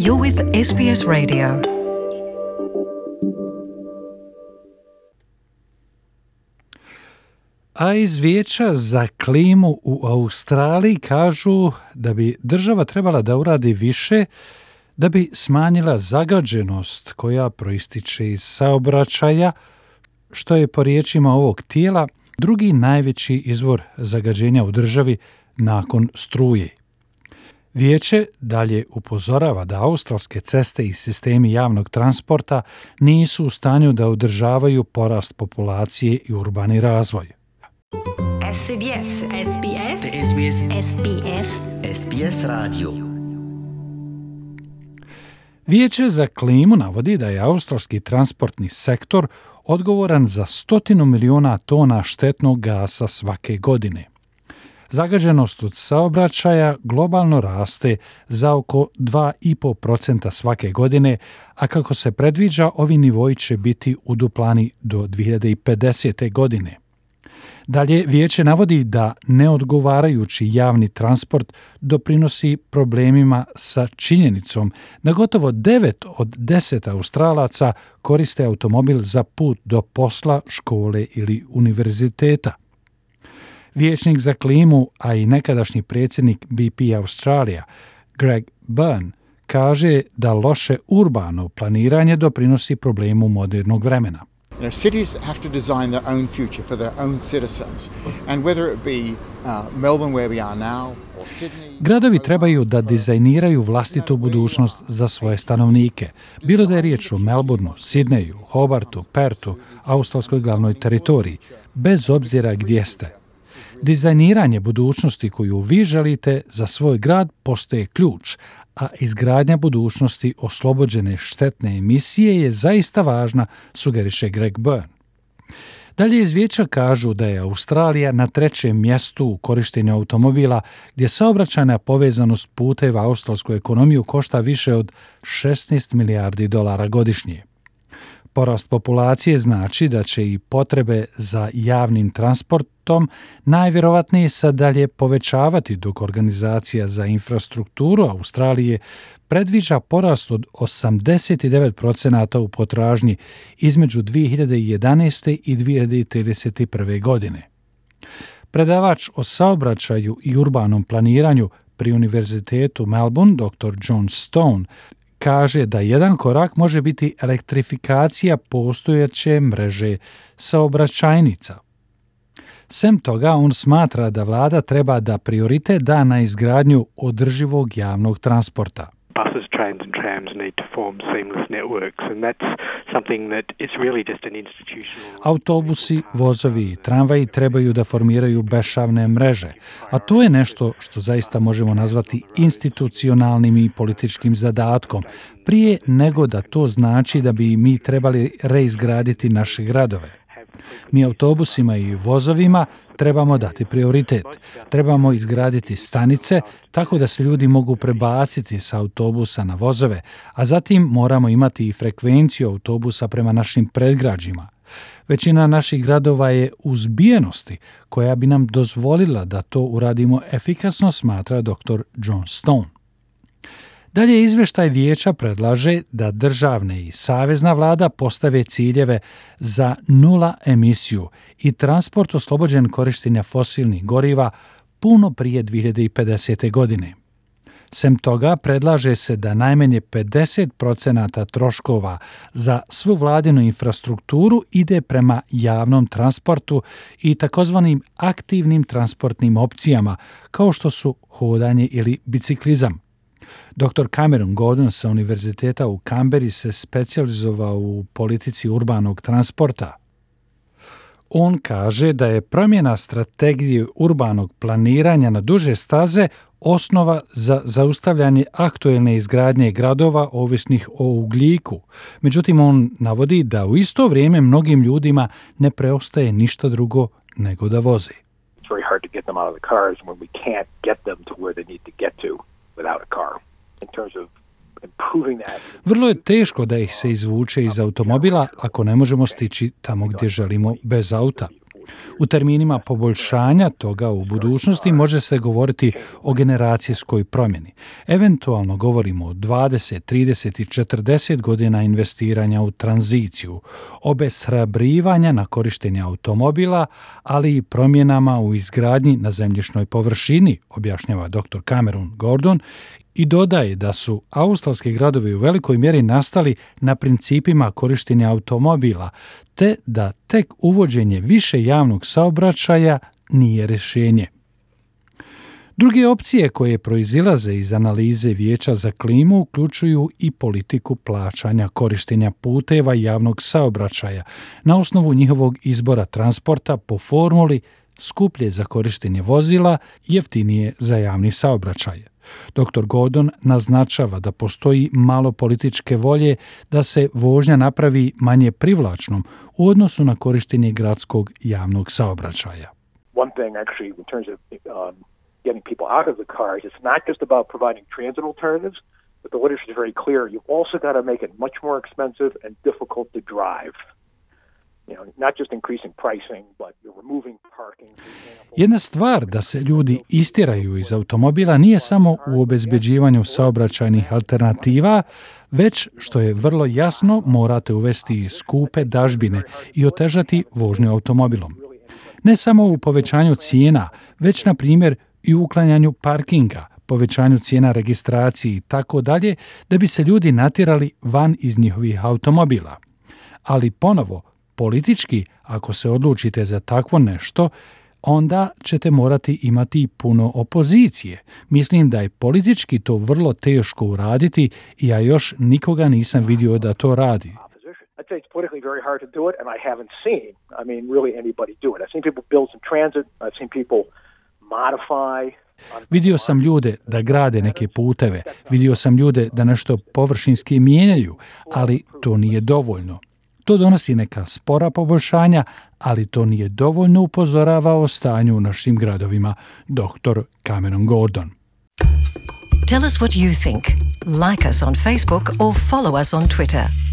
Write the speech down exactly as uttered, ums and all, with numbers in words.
You're with S B S Radio. A iz Vijeća za klimu u Australiji kažu da bi država trebala da uradi više da bi smanjila zagađenost koja proističe iz saobraćaja, što je po riječima ovog tijela drugi najveći izvor zagađenja u državi nakon struje. Vijeće dalje upozorava da australske ceste i sistemi javnog transporta nisu u stanju da održavaju porast populacije i urbani razvoj. S B S, S B S, S B S, S B S, S B S radio. Vijeće za klimu navodi da je australski transportni sektor odgovoran za stotinu miliona tona štetnog gasa svake godine. Zagađenost od saobraćaja globalno raste za oko dva i po procenta svake godine, a kako se predviđa, ovi nivoji će biti uduplani do dvije hiljade pedesete. godine. Dalje, vijeće navodi da neodgovarajući javni transport doprinosi problemima sa činjenicom da gotovo devet od deset Australaca koriste automobil za put do posla, škole ili univerziteta. Vijećnik za klimu, a i nekadašnji predsjednik B P Australia, Greg Byrne, kaže da loše urbano planiranje doprinosi problemu modernog vremena. You know, cities have to design their own future for their own citizens. And whether it be uh, Melbourne where we are now or Sydney... Gradovi trebaju da dizajniraju vlastitu budućnost za svoje stanovnike. Bilo da je riječ o Melbourneu, Sidneju, Hobartu, Pertu, australskoj glavnoj teritoriji, bez obzira gdje ste. Dizajniranje budućnosti koju vi želite za svoj grad postaje ključ, a izgradnja budućnosti oslobođene štetne emisije je zaista važna, sugeriše Greg Byrne. Dalje iz vijeća kažu da je Australija na trećem mjestu u korištenju automobila, gdje saobraćajna povezanost puteva australsku ekonomiju košta više od šesnaest milijardi dolara godišnje. Porast populacije znači da će i potrebe za javnim transportom najvjerovatnije se dalje povećavati, dok Organizacija za infrastrukturu Australije predviđa porast od osamdeset devet procenta u potražnji između dvije hiljade jedanaeste i dvije hiljade trideset prve. godine. Predavač o saobraćaju i urbanom planiranju pri Univerzitetu Melbourne, doktor John Stone, kaže da jedan korak može biti elektrifikacija postojeće mreže saobraćajnica. Sem toga, on smatra da vlada treba da prioritet da na izgradnju održivog javnog transporta. Buses, trains and trams need to form seamless networks, and that's something that is really just an institutional... Autobusi, vozovi i tramvaji trebaju da formiraju bešavne mreže, a to je nešto što zaista možemo nazvati institucionalnim i političkim zadatkom, prije nego da to znači da bi mi trebali reizgraditi naše gradove. Mi autobusima i vozovima trebamo dati prioritet. Trebamo izgraditi stanice tako da se ljudi mogu prebaciti sa autobusa na vozove, a zatim moramo imati i frekvenciju autobusa prema našim predgrađima. Većina naših gradova je u zbijenosti koja bi nam dozvolila da to uradimo efikasno, smatra doktor John Stone. Dalje izvještaj vijeća predlaže da državne i savezna vlada postave ciljeve za nula emisiju i transport oslobođen korištenja fosilnih goriva puno prije dvije hiljade pedesete. godine. Sem toga, predlaže se da najmanje pedeset procenta troškova za svu vladinu infrastrukturu ide prema javnom transportu i takozvanim aktivnim transportnim opcijama, kao što su hodanje ili biciklizam. doktor Cameron Gordon sa Univerziteta u Canberri se specijalizovao u politici urbanog transporta. On kaže da je promjena strategije urbanog planiranja na duže staze osnova za zaustavljanje aktuelne izgradnje gradova ovisnih o ugljiku. Međutim, on navodi da u isto vrijeme mnogim ljudima ne preostaje ništa drugo nego da voze. It's very hard to get them out of the cars when we can't get them to where they need to get to without a car. In terms of improving that. Vrlo je teško da ih se izvuče iz automobila ako ne možemo stići tamo gdje želimo bez auta. U terminima poboljšanja toga u budućnosti može se govoriti o generacijskoj promjeni. Eventualno govorimo o dvadeset, trideset i četrdeset godina investiranja u tranziciju, obeshrabrivanja na korištenje automobila, ali i promjenama u izgradnji na zemljišnoj površini, objašnjava doktor Cameron Gordon, i dodaje da su australski gradovi u velikoj mjeri nastali na principima korištenja automobila, te da tek uvođenje više javnog saobraćaja nije rješenje. Druge opcije koje proizilaze iz analize Vijeća za klimu uključuju i politiku plaćanja korištenja puteva i javnog saobraćaja na osnovu njihovog izbora transporta po formuli skuplje za korištenje vozila, jeftinije za javni saobraćaj. doktor Gordon naznačava da postoji malo političke volje da se vožnja napravi manje privlačnom u odnosu na korištenje gradskog javnog saobraćaja. One thing actually in terms of um, getting people out of the cars, it's not just about providing transit alternatives, but the literature is very clear. You also got to make it much more expensive and difficult to drive. You know, not just increasing pricing, but you're removing parking. Jedna stvar da se ljudi istjeraju iz automobila nije samo u obezbeđivanju saobraćajnih alternativa, već što je vrlo jasno morate uvesti skupe dažbine i otežati vožnju automobilom. Ne samo u povećanju cijena, već na primjer i u uklanjanju parkinga, povećanju cijena registracije i tako dalje, da bi se ljudi natjerali van iz njihovih automobila. Ali ponovo, politički, ako se odlučite za takvo nešto, onda ćete morati imati puno opozicije. Mislim da je politički to vrlo teško uraditi i ja još nikoga nisam vidio da to radi. I'd say it's politically very hard to do it, and I haven't seen, I mean, really anybody do it. I've seen people build some transit, I've seen people modify. Vidio sam ljude da grade neke puteve, vidio sam ljude da nešto površinski mijenjaju, ali to nije dovoljno. To donosi neka spora poboljšanja, ali to nije dovoljno, upozorava o stanju u našim gradovima doktor Cameron Gordon. Tell us what you think. Like us on Facebook or follow us on Twitter.